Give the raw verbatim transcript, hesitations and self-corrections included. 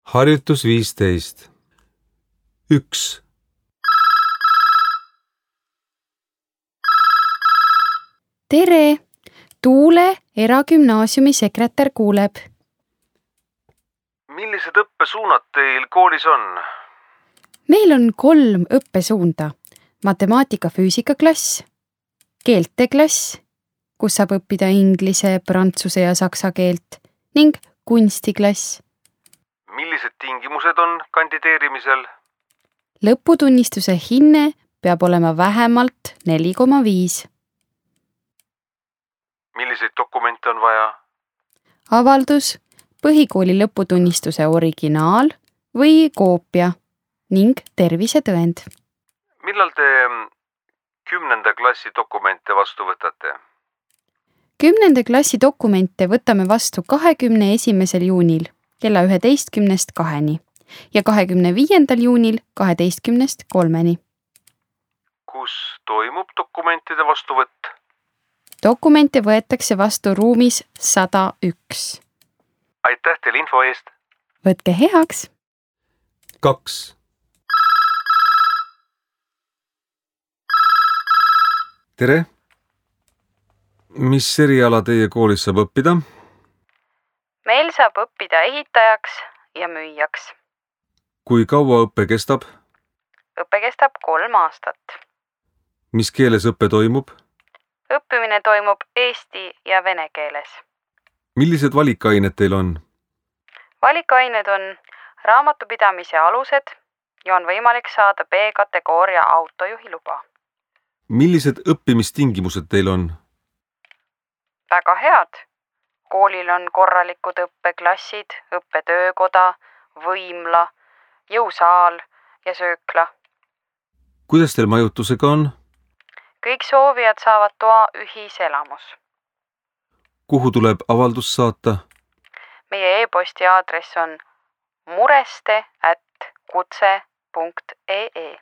Harjutus viisteist. Üks. Tere! Tuule eragümnaasiumi sekretär kuuleb. Millised õppesuunad teil koolis on? Meil on kolm õppesuunda. Matemaatika-füüsikaklass, keelteklass, kus saab õppida inglise, prantsuse ja saksa keelt, ning kunstiklass. Millised tingimused on kandideerimisel? Lõputunnistuse hinne peab olema vähemalt neli koma viis. Milliseid dokumente on vaja? Avaldus, põhikooli lõputunnistuse originaal või koopia ning tervisetõend. Millal te kümnenda klassi dokumente vastu võtate? Kümnenda klassi dokumente võtame vastu kahekümne esimesel juunil kella üheteistkümnest kaheni ja kahekümne viiendal juunil kaheteistkümnest kolmeni. Kus toimub dokumentide vastuvõtt? Dokumente võetakse vastu ruumis sada üks. Aitäh teile info eest! Võtke heaks! Kaks. Tere! Mis eriala teie koolis saab õppida? Meil saab õppida ehitajaks ja müüjaks. Kui kaua õppe kestab? Õppe kestab kolm aastat. Mis keeles õppe toimub? Õppimine toimub eesti ja vene keeles. Millised valikained teil on? Valikained on raamatupidamise alused ja on võimalik saada B-kategooria autojuhiluba. Millised õppimistingimused teil on? Väga head. Koolil on korralikud õppeklassid, õppetöökoda, võimla, jõusaal ja söökla. Kuidas teil majutusega on? Kõik soovijad saavad toa ühiselamus. Kuhu tuleb avaldus saata? Meie e-posti aadress on mureste at kutse punkt ee.